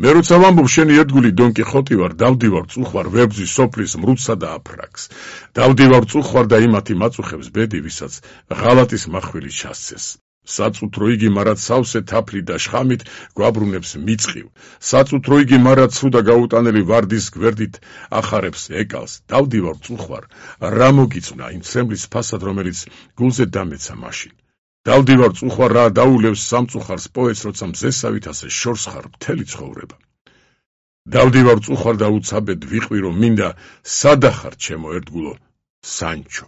მე როცა ვამბობ შენი ერთგული დონ კიხოტი ვარ, დავდივარ წუხვარ ვებრძვის სოფლის მრუდსა და აფრაგს. დავდივარ წუხვარ და იმათი მაწუხებს ბედი, ვისაც ღალატის მახვილი ჩასცეს. საწუთრო იგი მარად სავსე თაფლი და შხამით გვაბრუნებს მიწყივ. საწუთრო იგი მარად ცრუ და გაუტანელი ვარდის გვერდით ახარებს ეკალს. დავდივარ წუხვარ, რა მოგიწვნა იმ ცრემლის ფასად, რომელიც გულზე დამეცა მაშინ. დავდივარ წუხვარ, რა დაულევს სამწუხარს პოეტს, როცა მზესავით ასე შორს ხარ მთელი ცხოვრება. დავდივარ წუხვარ და უცაბედ ვიყვირო, მინდა სადახარ ჩემო ერთგულო სანჩო.